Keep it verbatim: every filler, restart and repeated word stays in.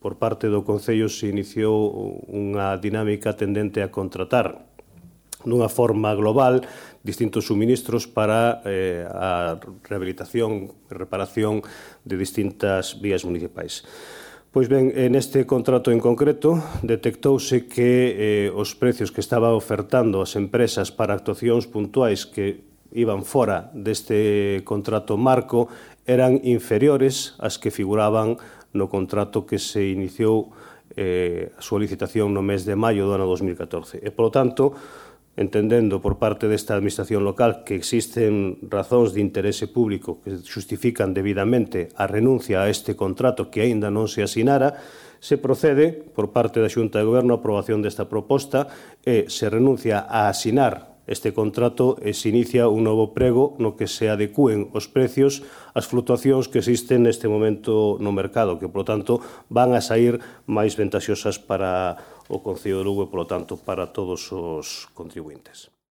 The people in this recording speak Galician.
por parte do Concello se iniciou unha dinámica tendente a contratar dunha forma global distintos suministros para eh, a rehabilitación e reparación de distintas vías municipais. Pois ben, neste contrato en concreto detectouse que eh, os precios que estaba ofertando as empresas para actuacións puntuais que iban fora deste contrato marco eran inferiores ás que figuraban no contrato que se iniciou eh, a súa licitación no mes de maio do ano dos mil catorce. E, polo tanto, entendendo por parte desta administración local que existen razóns de interese público que xustifican debidamente a renuncia a este contrato que aínda non se asinara, se procede, por parte da Xunta de Goberno, a aprobación desta proposta e se renuncia a asinar este contrato e se inicia un novo prego no que se adecúen os precios ás flutuacións que existen neste momento no mercado, que, polo tanto, van a sair máis ventaxosas para o Concello de Lugo e, polo tanto, para todos os contribuintes.